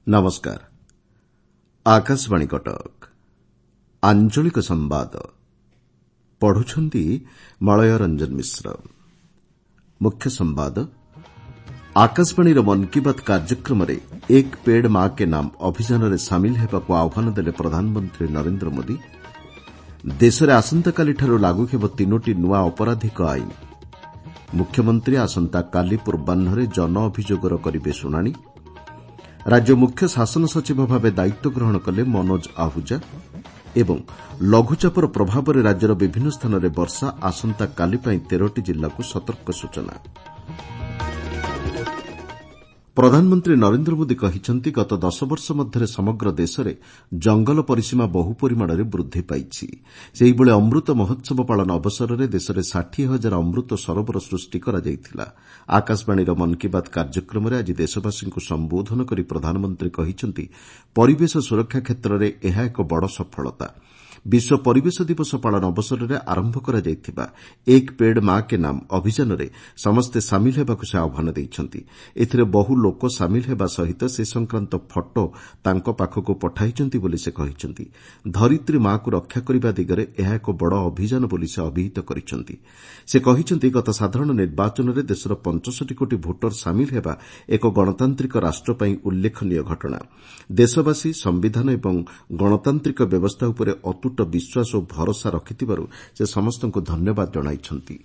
ନମସ୍କାର। ଆକାଶବାଣୀ କଟକ। ଆଞ୍ଚଳିକ ସମ୍ବାଦ ପଢୁଛନ୍ତି ମଳୟ ରଞ୍ଜନ ମିଶ୍ର। ମୁଖ୍ୟ ସମ୍ବାଦ, ଆକାଶବାଣୀର ମନ୍ କି ବାତ୍ କାର୍ଯ୍ୟକ୍ରମରେ 'ଏକ୍ ପେଡ୍ ମା କେ ନାମ୍' ଅଭିଯାନରେ ସାମିଲ ହେବାକୁ ଆହ୍ୱାନ ଦେଲେ ପ୍ରଧାନମନ୍ତ୍ରୀ ନରେନ୍ଦ୍ର ମୋଦି। ଦେଶରେ ଆସନ୍ତାକାଲିଠାରୁ ଲାଗୁ ହେବ ତିନୋଟି ନୂଆ ଅପରାଧିକ ଆଇନ। ମୁଖ୍ୟମନ୍ତ୍ରୀ ଆସନ୍ତାକାଲି ପୂର୍ବାହ୍ନରେ ଜନ ଅଭିଯୋଗର କରିବେ ଶୁଣାଣି। ରାଜ୍ୟ ମୁଖ୍ୟ ଶାସନ ସଚିବ ଭାବେ ଦାୟିତ୍ୱ ଗ୍ରହଣ କଲେ ମନୋଜ ଆହୁଜା ଏବଂ ଲଘୁଚାପର ପ୍ରଭାବରେ ରାଜ୍ୟର ବିଭିନ୍ନ ସ୍ଥାନରେ ବର୍ଷା। ଆସନ୍ତାକାଲି ପାଇଁ 13ଟି ଜିଲ୍ଲାକୁ ସତର୍କ ସୂଚନା। ପ୍ରଧାନମନ୍ତ୍ରୀ ନରେନ୍ଦ୍ର ମୋଦି କହିଛନ୍ତି, ଗତ ଦଶବର୍ଷ ମଧ୍ୟରେ ସମଗ୍ର ଦେଶରେ ଜଙ୍ଗଲ ପରିସୀମା ବହୁ ପରିମାଣରେ ବୃଦ୍ଧି ପାଇଛି। ସେହିଭଳି ଅମୃତ ମହୋତ୍ସବ ପାଳନ ଅବସରରେ ଦେଶରେ 60 ହଜାର ଅମୃତ ସରୋବର ସୃଷ୍ଟି କରାଯାଇଥିଲା। ଆକାଶବାଣୀର ମନ୍ କି ବାତ୍ କାର୍ଯ୍ୟକ୍ରମରେ ଆଜି ଦେଶବାସୀଙ୍କୁ ସମ୍ବୋଧନ କରି ପ୍ରଧାନମନ୍ତ୍ରୀ କହିଛନ୍ତି, ପରିବେଶ ସୁରକ୍ଷା କ୍ଷେତ୍ରରେ ଏହା ଏକ ବଡ଼ ସଫଳତା। ବିଶ୍ୱ ପରିବେଶ ଦିବସ ପାଳନ ଅବସରରେ ଆରମ୍ଭ କରାଯାଇଥିବା 'ଏକ୍ ପେଡ୍ ମା କେ ନାମ୍' ଅଭିଯାନରେ ସମସ୍ତେ ସାମିଲ ହେବାକୁ ସେ ଆହ୍ୱାନ ଦେଇଛନ୍ତି। ଏଥିରେ ବହୁ ଲୋକ ସାମିଲ ହେବା ସହିତ ସେ ସଂକ୍ରାନ୍ତ ଫଟୋ ତାଙ୍କ ପାଖକୁ ପଠାଇଛନ୍ତି ବୋଲି ସେ କହିଛନ୍ତି। ଧରିତ୍ରୀ ମାକୁ ରକ୍ଷା କରିବା ଦିଗରେ ଏହା ଏକ ବଡ଼ ଅଭିଯାନ ବୋଲି ସେ ଅଭିହିତ କରିଛନ୍ତି। ସେ କହିଛନ୍ତି, ଗତ ସାଧାରଣ ନିର୍ବାଚନରେ ଦେଶର 65 କୋଟି ଭୋଟର ସାମିଲ ହେବା ଏକ ଗଣତାନ୍ତ୍ରିକ ରାଷ୍ଟ୍ର ପାଇଁ ଉଲ୍ଲେଖନୀୟ ଘଟଣା। ଦେଶବାସୀ ସମ୍ବିଧାନ ଏବଂ ଗଣତାନ୍ତ୍ରିକ ବ୍ୟବସ୍ଥା ଉପରେ ଅତୁଟ ବିଶ୍ୱାସ ଓ ଭରସା ରଖିଥିବାରୁ ସେ ସମସ୍ତଙ୍କୁ ଧନ୍ୟବାଦ ଜଣାଇଛନ୍ତି।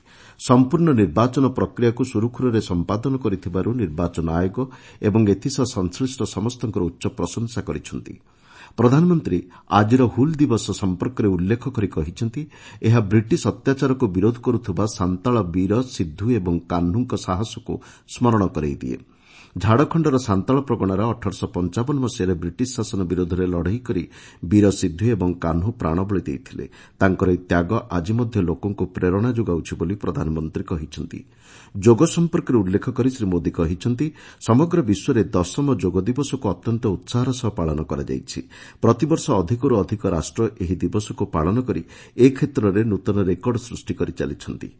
ସମ୍ପୂର୍ଣ୍ଣ ନିର୍ବାଚନ ପ୍ରକ୍ରିୟାକୁ ସୁରୁଖୁରୁରେ ସମ୍ପାଦନ କରିଥିବାରୁ ନିର୍ବାଚନ ଆୟୋଗ ଏବଂ ଏଥିସହ ସଂଶ୍ଳିଷ୍ଟ ସମସ୍ତଙ୍କର ଉଚ୍ଚ ପ୍ରଶଂସା କରିଛନ୍ତି। ପ୍ରଧାନମନ୍ତ୍ରୀ ଆଜିର ହୁଲ୍ ଦିବସ ସମ୍ପର୍କରେ ଉଲ୍ଲେଖ କରି କହିଛନ୍ତି, ଏହା ବ୍ରିଟିଶ ଅତ୍ୟାଚାରକୁ ବିରୋଧ କରୁଥିବା ସାନ୍ତାଳ ବୀର ସିଦ୍ଧୁ ଏବଂ କାହ୍ନୁଙ୍କ ସାହସକୁ ସ୍ମରଣ କରାଇଦିଏ। ଝାଡ଼ଖଣ୍ଡର ସାନ୍ତାଳ ପ୍ରଗଣାରେ 1855 ମସିହାରେ ବ୍ରିଟିଶ ଶାସନ ବିରୋଧରେ ଲଢ଼େଇ କରି ବୀର ସିଦ୍ଧୁ ଏବଂ କାହ୍ନୁ ପ୍ରାଣବଳି ଦେଇଥିଲେ। ତାଙ୍କର ଏହି ତ୍ୟାଗ ଆଜି ମଧ୍ୟ ଲୋକଙ୍କୁ ପ୍ରେରଣା ଯୋଗାଉଛି ବୋଲି ପ୍ରଧାନମନ୍ତ୍ରୀ କହିଛନ୍ତି। ଯୋଗ ସମ୍ପର୍କରେ ଉଲ୍ଲେଖ କରି ଶ୍ରୀ ମୋଦି କହିଛନ୍ତି, ସମଗ୍ର ବିଶ୍ୱରେ ଦଶମ ଯୋଗ ଦିବସକୁ ଅତ୍ୟନ୍ତ ଉତ୍ସାହର ସହ ପାଳନ କରାଯାଇଛି। ପ୍ରତିବର୍ଷ ଅଧିକରୁ ଅଧିକ ରାଷ୍ଟ୍ର ଏହି ଦିବସକୁ ପାଳନ କରି ଏ କ୍ଷେତ୍ରରେ ନୂତନ ରେକର୍ଡ ସୃଷ୍ଟି କରିଚାଲିଛନ୍ତି।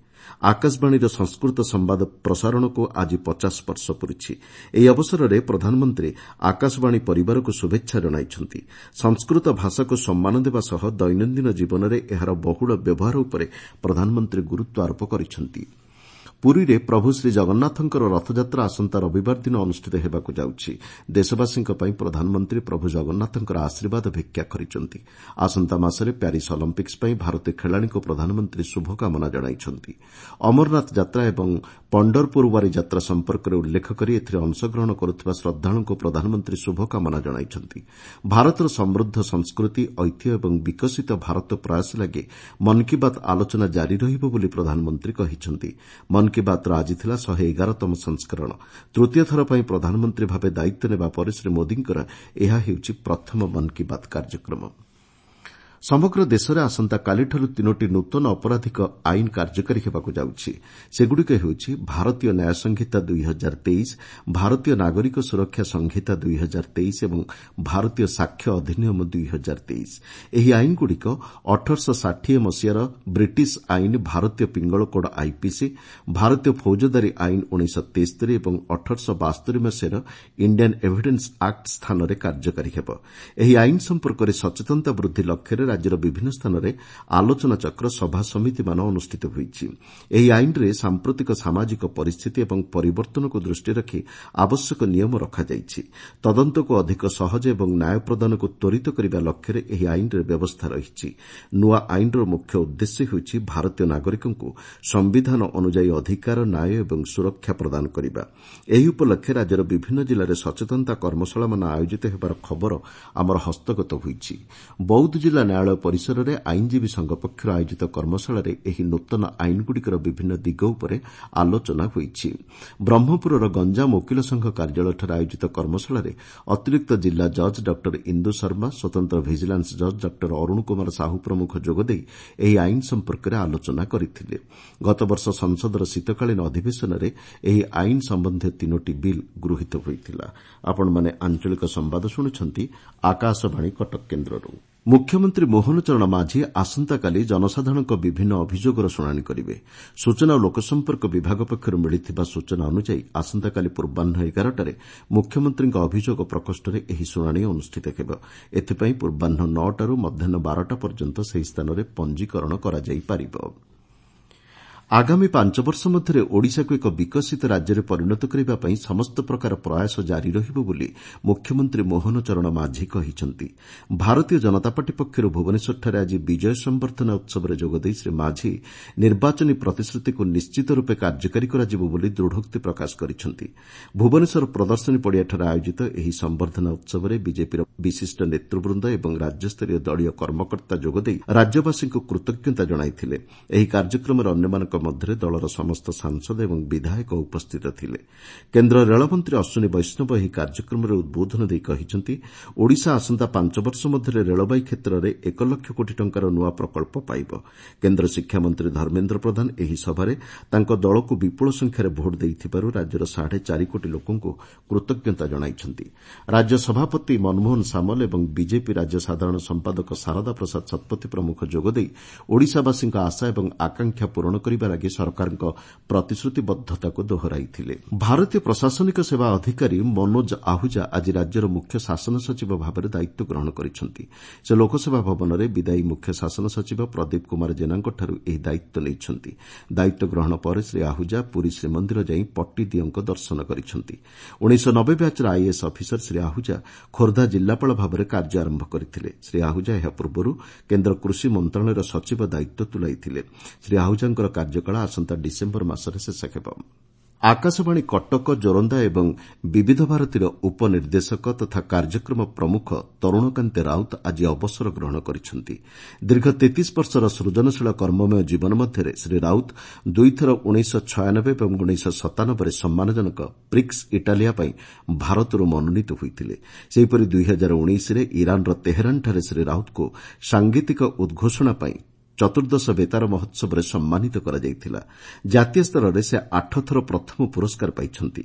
ଆକାଶବାଣୀର ସଂସ୍କୃତ ସମ୍ବାଦ ପ୍ରସାରଣକୁ ଆଜି 50 ବର୍ଷ ପୂରିଛି। ଏହି ଅବସରରେ ପ୍ରଧାନମନ୍ତ୍ରୀ ଆକାଶବାଣୀ ପରିବାରକୁ ଶୁଭେଚ୍ଛା ଜଣାଇଛନ୍ତି। ସଂସ୍କୃତ ଭାଷାକୁ ସମ୍ମାନ ଦେବା ସହ ଦୈନନ୍ଦିନ ଜୀବନରେ ଏହାର ବହୁଳ ବ୍ୟବହାର ଉପରେ ପ୍ରଧାନମନ୍ତ୍ରୀ ଗୁରୁତ୍ୱ ଆରୋପ କରିଛନ୍ତି। ପୁରୀରେ ପ୍ରଭୁ ଶ୍ରୀଜଗନ୍ନାଥଙ୍କର ରଥଯାତ୍ରା ଆସନ୍ତା ରବିବାର ଦିନ ଅନୁଷ୍ଠିତ ହେବାକୁ ଯାଉଛି। ଦେଶବାସୀଙ୍କ ପାଇଁ ପ୍ରଧାନମନ୍ତ୍ରୀ ପ୍ରଭୁ ଜଗନ୍ନାଥଙ୍କର ଆଶୀର୍ବାଦ ଭିକ୍ଷା କରିଛନ୍ତି। ଆସନ୍ତା ମାସରେ ପ୍ୟାରିସ୍ ଅଲିମ୍ପିକ୍ସ ପାଇଁ ଭାରତୀୟ ଖେଳାଳିଙ୍କୁ ପ୍ରଧାନମନ୍ତ୍ରୀ ଶୁଭକାମନା ଜଣାଇଛନ୍ତି। ଅମରନାଥ ଯାତ୍ରା ଏବଂ ପଣ୍ଡରପୁର ୱାରୀ ଯାତ୍ରା ସମ୍ପର୍କରେ ଉଲ୍ଲେଖ କରି ଏଥିରେ ଅଂଶଗ୍ରହଣ କରୁଥିବା ଶ୍ରଦ୍ଧାଳୁଙ୍କୁ ପ୍ରଧାନମନ୍ତ୍ରୀ ଶୁଭକାମନା ଜଣାଇଛନ୍ତି। ଭାରତର ସମୃଦ୍ଧ ସଂସ୍କୃତି, ଐତିହ୍ୟ ଏବଂ ବିକଶିତ ଭାରତ ପ୍ରୟାସ ଲାଗି ମନ୍ କି ବାତ୍ ଆଲୋଚନା ଜାରି ରହିବ ବୋଲି ପ୍ରଧାନମନ୍ତ୍ରୀ କହିଛନ୍ତି। ମନ୍ କି ବାତ୍ର ଆଜି ଥିଲା 111ତମ ସଂସ୍କରଣ। ତୃତୀୟ ଥର ପାଇଁ ପ୍ରଧାନମନ୍ତ୍ରୀ ଭାବେ ଦାୟିତ୍ୱ ନେବା ପରେ ଶ୍ରୀ ମୋଦିଙ୍କର ଏହା ହେଉଛି ପ୍ରଥମ ମନ୍ କି ବାତ୍ କାର୍ଯ୍ୟକ୍ରମ। ସମଗ୍ର ଦେଶରେ ଆସନ୍ତାକାଲିଠାରୁ ତିନୋଟି ନୂତନ ଅପରାଧିକ ଆଇନ କାର୍ଯ୍ୟକାରୀ ହେବାକୁ ଯାଉଛି। ସେଗୁଡ଼ିକ ହେଉଛି ଭାରତୀୟ ନ୍ୟାୟ ସଂହିତା 2023, ଭାରତୀୟ ନାଗରିକ ସୁରକ୍ଷା ସଂହିତା 2023 ଏବଂ ଭାରତୀୟ ସାକ୍ଷ୍ୟ ଅଧିନିୟମ 2023। ଏହି ଆଇନଗୁଡ଼ିକ 1860 ମସିହାର ବ୍ରିଟିଶ ଆଇନ ଭାରତୀୟ ପିଙ୍ଗଳ କୋଡ୍ ଆଇପିସି, ଭାରତୀୟ ଫୌଜଦାରୀ ଆଇନ 1973 ଏବଂ 1872 ମସିହାର ଇଣ୍ଡିଆନ୍ ଏଭିଡେନ୍ସ ଆକ୍ଟ ସ୍ଥାନରେ କାର୍ଯ୍ୟକାରୀ ହେବ। ଏହି ଆଇନ ସମ୍ପର୍କରେ ସଚେତନତା ବୃଦ୍ଧି ଲକ୍ଷ୍ୟରେ ରାଜ୍ୟର ବିଭିନ୍ନ ସ୍ଥାନରେ ଆଲୋଚନାଚକ୍ର, ସଭାସମିତିମାନ ଅନୁଷ୍ଠିତ ହୋଇଛି। ଏହି ଆଇନରେ ସାମ୍ପ୍ରତିକ ସାମାଜିକ ପରିସ୍ଥିତି ଏବଂ ପରିବର୍ତ୍ତନକୁ ଦୃଷ୍ଟିରେ ରଖି ଆବଶ୍ୟକ ନିୟମ ରଖାଯାଇଛି। ତଦନ୍ତକୁ ଅଧିକ ସହଜ ଏବଂ ନ୍ୟାୟ ପ୍ରଦାନକୁ ତ୍ୱରିତ କରିବା ଲକ୍ଷ୍ୟରେ ଏହି ଆଇନରେ ବ୍ୟବସ୍ଥା ରହିଛି। ନୂଆ ଆଇନର ମୁଖ୍ୟ ଉଦ୍ଦେଶ୍ୟ ହେଉଛି ଭାରତୀୟ ନାଗରିକଙ୍କୁ ସମ୍ବିଧାନ ଅନୁଯାୟୀ ଅଧିକାର, ନ୍ୟାୟ ଏବଂ ସୁରକ୍ଷା ପ୍ରଦାନ କରିବା। ଏହି ଉପଲକ୍ଷେ ରାଜ୍ୟର ବିଭିନ୍ନ ଜିଲ୍ଲାରେ ସଚେତନତା କର୍ମଶାଳାମାନ ଆୟୋଜିତ ହେବାର ଖବର ଆମର ହସ୍ତଗତ ହୋଇଛି। ବୌଦ୍ଧ ଜିଲ୍ଲା ନ୍ୟାୟାଳୟ ପରିସରରେ ଆଇନଜୀବୀ ସଂଘ ପକ୍ଷରୁ ଆୟୋଜିତ କର୍ମଶାଳାରେ ଏହି ନୂତନ ଆଇନଗୁଡ଼ିକର ବିଭିନ୍ନ ଦିଗ ଉପରେ ଆଲୋଚନା ହୋଇଛି। ବ୍ରହ୍ମପୁରର ଗଞ୍ଜାମ ଓକିଲ ସଂଘ କାର୍ଯ୍ୟାଳୟଠାରେ ଆୟୋଜିତ କର୍ମଶାଳାରେ ଅତିରିକ୍ତ ଜିଲ୍ଲା ଜଜ୍ ଡକ୍ଟର ଇନ୍ଦୁ ଶର୍ମା, ସ୍ୱତନ୍ତ୍ର ଭିଜିଲାନ୍ସ ଜଜ୍ ଡକ୍ଟର ଅରୁଣ କୁମାର ସାହୁ ପ୍ରମୁଖ ଯୋଗଦେଇ ଏହି ଆଇନ ସମ୍ପର୍କରେ ଆଲୋଚନା କରିଥିଲେ। ଗତବର୍ଷ ସଂସଦର ଶୀତକାଳୀନ ଅଧିବେଶନରେ ଏହି ଆଇନ ସମ୍ବନ୍ଧୀୟ ତିନୋଟି ବିଲ୍ ଗୃହୀତ ହୋଇଥିଲା। ମୁଖ୍ୟମନ୍ତ୍ରୀ ମୋହନ ଚରଣ ମାଝୀ ଆସନ୍ତାକାଲି ଜନସାଧାରଣଙ୍କ ବିଭିନ୍ନ ଅଭିଯୋଗର ଶୁଣାଣି କରିବେ। ସୂଚନା ଓ ଲୋକସମ୍ପର୍କ ବିଭାଗ ପକ୍ଷରୁ ମିଳିଥିବା ସୂଚନା ଅନୁଯାୟୀ ଆସନ୍ତାକାଲି ପୂର୍ବାହ୍ନ 11ଟାରେ ମୁଖ୍ୟମନ୍ତ୍ରୀଙ୍କ ଅଭିଯୋଗ ପ୍ରକୋଷ୍ଠରେ ଏହି ଶୁଣାଣି ଅନୁଷ୍ଠିତ ହେବ। ଏଥିପାଇଁ ପୂର୍ବାହ୍ନ 9ଟାରୁ ମଧ୍ୟାହ୍ନ 12ଟା ପର୍ଯ୍ୟନ୍ତ ସେହି ସ୍ଥାନରେ ପଞ୍ଜୀକରଣ କରାଯାଇପାରିବ। ଆଗାମୀ 5 ବର୍ଷ ମଧ୍ୟରେ ଓଡ଼ିଶାକୁ ଏକ ବିକଶିତ ରାଜ୍ୟରେ ପରିଣତ କରିବା ପାଇଁ ସମସ୍ତ ପ୍ରକାର ପ୍ରୟାସ ଜାରି ରହିବ ବୋଲି ମୁଖ୍ୟମନ୍ତ୍ରୀ ମୋହନ ଚରଣ ମାଝୀ କହିଛନ୍ତି। ଭାରତୀୟ ଜନତା ପାର୍ଟି ପକ୍ଷରୁ ଭୁବନେଶ୍ୱରଠାରେ ଆଜି ବିଜୟ ସମ୍ବର୍ଦ୍ଧନା ଉତ୍ସବରେ ଯୋଗଦେଇ ଶ୍ରୀ ମାଝୀ ନିର୍ବାଚନୀ ପ୍ରତିଶ୍ରୁତିକୁ ନିଶ୍ଚିତ ରୂପେ କାର୍ଯ୍ୟକାରୀ କରାଯିବ ବୋଲି ଦୃଢ଼ୋକ୍ତି ପ୍ରକାଶ କରିଛନ୍ତି। ଭୁବନେଶ୍ୱର ପ୍ରଦର୍ଶନୀ ପଡ଼ିଆଠାରେ ଆୟୋଜିତ ଏହି ସମ୍ବର୍ଦ୍ଧନା ଉତ୍ସବରେ ବିଜେପିର ବିଶିଷ୍ଟ ନେତୃବୃନ୍ଦ ଏବଂ ରାଜ୍ୟସ୍ତରୀୟ ଦଳୀୟ କର୍ମକର୍ତ୍ତା ଯୋଗଦେଇ ରାଜ୍ୟବାସୀଙ୍କୁ କୃତଜ୍ଞତା ଜଣାଇଥିଲେ। ଏହି କାର୍ଯ୍ୟକ୍ରମରେ ଅନ୍ୟମାନଙ୍କ ମଧ୍ୟରେ ଦଳର ସମସ୍ତ ସାଂସଦ ଏବଂ ବିଧାୟକ ଉପସ୍ଥିତ ଥିଲେ। କେନ୍ଦ୍ର ରେଳମନ୍ତ୍ରୀ ଅଶ୍ୱିନୀ ବୈଷ୍ଣବ ଏହି କାର୍ଯ୍ୟକ୍ରମରେ ଉଦ୍ବୋଧନ ଦେଇ କହିଛନ୍ତି, ଓଡ଼ିଶା ଆସନ୍ତା 5 ବର୍ଷ ମଧ୍ୟରେ ରେଳବାଇ କ୍ଷେତ୍ରରେ 1 ଲକ୍ଷ କୋଟି ଟଙ୍କାର ନୂଆ ପ୍ରକଳ୍ପ ପାଇବ। କେନ୍ଦ୍ର ଶିକ୍ଷାମନ୍ତ୍ରୀ ଧର୍ମେନ୍ଦ୍ର ପ୍ରଧାନ ଏହି ସଭାରେ ତାଙ୍କ ଦଳକୁ ବିପୁଳ ସଂଖ୍ୟାରେ ଭୋଟ ଦେଇଥିବାରୁ ରାଜ୍ୟର 4.5 କୋଟି ଲୋକଙ୍କୁ କୃତଜ୍ଞତା ଜଣାଇଛନ୍ତି। ରାଜ୍ୟ ସଭାପତି ମନମୋହନ ସାମଲ ଏବଂ ବିଜେପି ରାଜ୍ୟ ସାଧାରଣ ସମ୍ପାଦକ ସାରଦା ପ୍ରସାଦ ଶତପଥୀ ପ୍ରମୁଖ ଯୋଗଦେଇ ଓଡ଼ିଶାବାସୀଙ୍କ ଆଶା ଏବଂ ଆକାଂକ୍ଷା ପୂରଣ କରିବା ଲାଗି ସରକାରଙ୍କ ପ୍ରତିଶ୍ରୁତିବଦ୍ଧତାକୁ ଦୋହରାଇଥିଲେ। ଭାରତୀୟ ପ୍ରଶାସନିକ ସେବା ଅଧିକାରୀ ମନୋଜ ଆହୁଜା ଆଜି ରାଜ୍ୟର ମୁଖ୍ୟ ଶାସନ ସଚିବ ଭାବରେ ଦାୟିତ୍ୱ ଗ୍ରହଣ କରିଛନ୍ତି। ସେ ଲୋକସେବା ଭବନରେ ବିଦାୟୀ ମୁଖ୍ୟ ଶାସନ ସଚିବ ପ୍ରଦୀପ କୁମାର ଜେନାଙ୍କଠାରୁ ଏହି ଦାୟିତ୍ୱ ନେଇଛନ୍ତି। ଦାୟିତ୍ୱ ଗ୍ରହଣ ପରେ ଶ୍ରୀ ଆହୁଜା ପୁରୀ ଶ୍ରୀମନ୍ଦିର ଯାଇ ପଟ୍ଟିଦିଅଁଙ୍କ ଦର୍ଶନ କରିଛନ୍ତି। 1990 ବ୍ୟାଚ୍ର ଆଇଏଏସ୍ ଅଫିସର ଶ୍ରୀ ଆହୁଜା ଖୋର୍ଦ୍ଧା ଜିଲ୍ଲାପାଳ ଭାବରେ କାର୍ଯ୍ୟ ଆରମ୍ଭ କରିଥିଲେ। ଶ୍ରୀ ଆହୁଜା ଏହା ପୂର୍ବରୁ କେନ୍ଦ୍ର କୃଷି ମନ୍ତ୍ରଣାଳୟର ସଚିବ ଦାୟିତ୍ୱ ତୁଲାଇଥିଲେ। ଶ୍ରୀ ଆହୁଜାଙ୍କର କାର୍ଯ୍ୟକାଳ ଆସନ୍ତା ଡିସେମ୍ବର ମାସରେ ଶେଷ ହେବ। ଆକାଶବାଣୀ କଟକ, ଜୋରନ୍ଦା ଏବଂ ବିବିଧ ଭାରତୀର ଉପନିର୍ଦ୍ଦେଶକ ତଥା କାର୍ଯ୍ୟକ୍ରମ ପ୍ରମୁଖ ତରୁଣକାନ୍ତି ରାଉତ ଆଜି ଅବସର ଗ୍ରହଣ କରିଛନ୍ତି। ଦୀର୍ଘ 33 ବର୍ଷର ସୃଜନଶୀଳ କର୍ମମୟ ଜୀବନ ମଧ୍ୟରେ ଶ୍ରୀ ରାଉତ ଦୁଇଥର 1996 ଏବଂ 1997ରେ ସମ୍ମାନଜନକ ପ୍ରିକ୍ସ ଇଟାଲିଆ ପାଇଁ ଭାରତରୁ ମନୋନୀତ ହୋଇଥିଲେ। ସେହିପରି 2019ରେ ଇରାନର ତେହେରାନଠାରେ ଶ୍ରୀ ରାଉତଙ୍କୁ ସାଙ୍ଗୀତିକ ଉଦ୍ଘୋଷଣା ପାଇଁ ଚତୁର୍ଦ୍ଦଶ ବେତାର ମହୋତ୍ସବରେ ସମ୍ମାନିତ କରାଯାଇଥିଲା। ଜାତୀୟ ସ୍ତରରେ ସେ 8 ଥର ପ୍ରଥମ ପୁରସ୍କାର ପାଇଛନ୍ତି।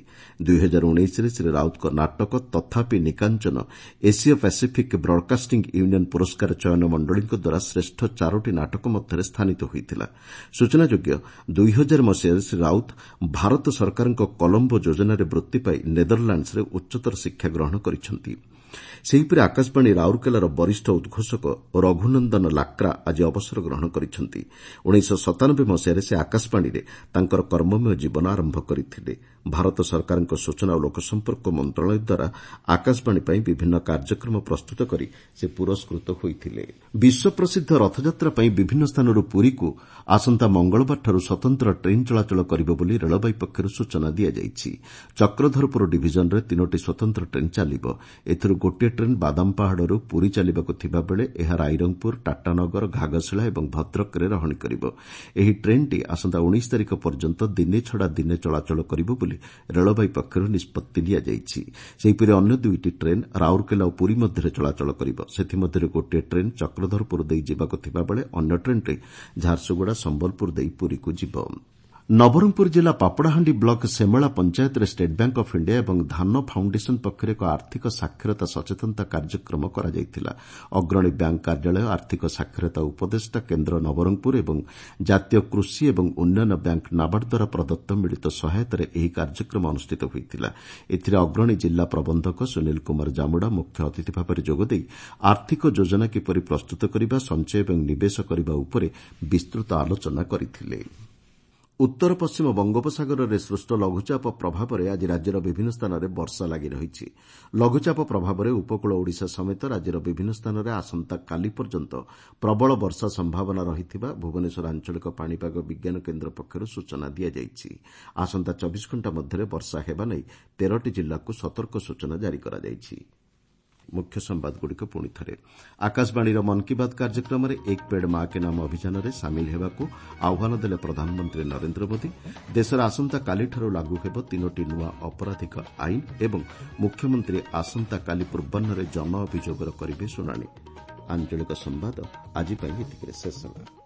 2019ରେ ଶ୍ରୀ ରାଉତଙ୍କ ନାଟକ ତଥାପି ନିକାଞ୍ଚନ ଏସୀୟ ପାସିଫିକ୍ ବ୍ରଡକାଷ୍ଟିଂ ୟୁନିୟନ ପୁରସ୍କାର ଚୟନ ମଣ୍ଡଳୀଙ୍କ ଦ୍ୱାରା ଶ୍ରେଷ୍ଠ 4ଟି ନାଟକ ମଧ୍ୟରେ ସ୍ଥାନିତ ହୋଇଥିଲା। ସୂଚନାଯୋଗ୍ୟ, 2000 ମସିହାରେ ଶ୍ରୀ ରାଉତ ଭାରତ ସରକାରଙ୍କ କଲମ୍ବୋ ଯୋଜନାରେ ବୃତ୍ତି ପାଇ ନେଦରଲାଣ୍ଡସରେ ଉଚ୍ଚତର ଶିକ୍ଷା ଗ୍ରହଣ କରିଛନ୍ତି। ସେହିପରି ଆକାଶବାଣୀ ରାଉରକେଲାର ବରିଷ୍ଠ ଉଦ୍ଘୋଷକ ରଘୁନନ୍ଦନ ଲାକ୍ରା ଆଜି ଅବସର ଗ୍ରହଣ କରିଛନ୍ତି। 1997 ମସିହାରେ ସେ ଆକାଶବାଣୀରେ ତାଙ୍କର କର୍ମମୟ ଜୀବନ ଆରମ୍ଭ କରିଥିଲେ। ଭାରତ ସରକାରଙ୍କ ସୂଚନା ଓ ଲୋକସମ୍ପର୍କ ମନ୍ତ୍ରଣାଳୟ ଦ୍ୱାରା ଆକାଶବାଣୀ ପାଇଁ ବିଭିନ୍ନ କାର୍ଯ୍ୟକ୍ରମ ପ୍ରସ୍ତୁତ କରି ସେ ପୁରସ୍କୃତ ହୋଇଥିଲେ। ବିଶ୍ୱପ୍ରସିଦ୍ଧ ରଥଯାତ୍ରା ପାଇଁ ବିଭିନ୍ନ ସ୍ଥାନରୁ ପୁରୀକୁ ଆସନ୍ତା ମଙ୍ଗଳବାରଠାରୁ ସ୍ୱତନ୍ତ୍ର ଟ୍ରେନ୍ ଚଳାଚଳ କରିବ ବୋଲି ରେଳବାଇ ପକ୍ଷରୁ ସୂଚନା ଦିଆଯାଇଛି। ଚକ୍ରଧରପୁର ଡିଭିଜନରେ 3ଟି ସ୍ୱତନ୍ତ୍ର ଟ୍ରେନ୍ ଚାଲିବ। ଏଥିରୁ ଗୋଟିଏ ଟ୍ରେନ୍ ବାଦାମପାହାଡ଼ରୁ ପୁରୀ ଚାଲିବାକୁ ଥିବାବେଳେ ଏହା ରାଇରଙ୍ଗପୁର, ଟାଟାନଗର, ଘାଗଶିଳା ଏବଂ ଭଦ୍ରକରେ ରହଣି କରିବ। ଏହି ଟ୍ରେନ୍ଟି ଆସନ୍ତା 19 ତାରିଖ ପର୍ଯ୍ୟନ୍ତ ଦିନେ ଛଡ଼ା ଦିନେ ଚଳାଚଳ କରିବ ବୋଲି ରେଳବାଇ ପକ୍ଷରୁ ନିଷ୍ପତ୍ତି ନିଆଯାଇଛି। ସେହିପରି ଅନ୍ୟ 2ଟି ଟ୍ରେନ୍ ରାଉରକେଲା ଓ ପୁରୀ ମଧ୍ୟରେ ଚଳାଚଳ କରିବ। ସେଥିମଧ୍ୟରୁ ଗୋଟିଏ ଟ୍ରେନ୍ ଚକ୍ରଧରପୁର ଦେଇ ଯିବାକୁ ଥିବାବେଳେ ଅନ୍ୟ ଟ୍ରେନ୍ଟି ଝାରସୁଗୁଡ଼ା, ସମ୍ବଲପୁର ଦେଇ ପୁରୀକୁ ଯିବ। ନବରଙ୍ଗପୁର ଜିଲ୍ଲା ପାପଡ଼ାହାଣ୍ଡି ବ୍ଲକ ସେମେଳା ପଞ୍ଚାୟତରେ ଷ୍ଟେଟ୍ ବ୍ୟାଙ୍କ ଅଫ୍ ଇଣ୍ଡିଆ ଏବଂ ଧାନ ଫାଉଣ୍ଡେସନ ପକ୍ଷରୁ ଏକ ଆର୍ଥିକ ସାକ୍ଷରତା ସଚେତନତା କାର୍ଯ୍ୟକ୍ରମ କରାଯାଇଥିଲା। ଅଗ୍ରଣୀ ବ୍ୟାଙ୍କ କାର୍ଯ୍ୟାଳୟ, ଆର୍ଥିକ ସାକ୍ଷରତା ଉପଦେଷ୍ଟା କେନ୍ଦ୍ର ନବରଙ୍ଗପୁର ଏବଂ ଜାତୀୟ କୃଷି ଏବଂ ଉନ୍ନୟନ ବ୍ୟାଙ୍କ ନାବାର୍ଡ ଦ୍ୱାରା ପ୍ରଦତ୍ତ ମିଳିତ ସହାୟତାରେ ଏହି କାର୍ଯ୍ୟକ୍ରମ ଅନୁଷ୍ଠିତ ହୋଇଥିଲା। ଏଥିରେ ଅଗ୍ରଣୀ ଜିଲ୍ଲା ପ୍ରବନ୍ଧକ ସୁନୀଲ କୁମାର ଜାମୁଡ଼ା ମୁଖ୍ୟ ଅତିଥି ଭାବରେ ଯୋଗଦେଇ ଆର୍ଥିକ ଯୋଜନା କିପରି ପ୍ରସ୍ତୁତ କରିବା, ସଞ୍ଚୟ ଏବଂ ନିବେଶ କରିବା ଉପରେ ବିସ୍ତୃତ ଆଲୋଚନା କରିଥିଲେ। ଉତ୍ତର ପଶ୍ଚିମ ବଙ୍ଗୋପସାଗରରେ ସୃଷ୍ଟ ଲଘୁଚାପ ପ୍ରଭାବରେ ଆଜି ରାଜ୍ୟର ବିଭିନ୍ନ ସ୍ଥାନରେ ବର୍ଷା ଲାଗି ରହିଛି। ଲଘୁଚାପ ପ୍ରଭାବରେ ଉପକୂଳ ଓଡ଼ିଶା ସମେତ ରାଜ୍ୟର ବିଭିନ୍ନ ସ୍ଥାନରେ ଆସନ୍ତାକାଲି ପର୍ଯ୍ୟନ୍ତ ପ୍ରବଳ ବର୍ଷା ସମ୍ଭାବନା ରହିଥିବା ଭୁବନେଶ୍ୱର ଆଞ୍ଚଳିକ ପାଣିପାଗ ବିଜ୍ଞାନ କେନ୍ଦ୍ର ପକ୍ଷରୁ ସୂଚନା ଦିଆଯାଇଛି। ଆସନ୍ତା 24 ଘଣ୍ଟା ମଧ୍ୟରେ ବର୍ଷା ହେବା ନେଇ 13ଟି ଜିଲ୍ଲାକୁ ସତର୍କ ସୂଚନା ଜାରି କରାଯାଇଛି। ମୁଖ୍ୟ ସମ୍ବାଦଗୁଡ଼ିକ ପୁଣି ଥରେ। ଆକାଶବାଣୀର ମନ୍ କି ବାତ୍ କାର୍ଯ୍ୟକ୍ରମରେ ଏକ ପେଡ୍ ମା କେ ନାମ ଅଭିଯାନରେ ସାମିଲ ହେବାକୁ ଆହ୍ୱାନ ଦେଲେ ପ୍ରଧାନମନ୍ତ୍ରୀ ନରେନ୍ଦ୍ର ମୋଦି। ଦେଶରେ ଆସନ୍ତାକାଲିଠାରୁ ଲାଗୁ ହେବ 3ଟି ନୂଆ ଅପରାଧିକ ଆଇନ ଏବଂ ମୁଖ୍ୟମନ୍ତ୍ରୀ ଆସନ୍ତାକାଲି ପୂର୍ବାହ୍ନରେ ଜନ ଅଭିଯୋଗର କରିବେ ଶୁଣାଣି। ଆଞ୍ଚଳିକ ସମ୍ବାଦ ଆଜି ପାଇଁ ଏତିକିରେ ଶେଷ ହେଲା।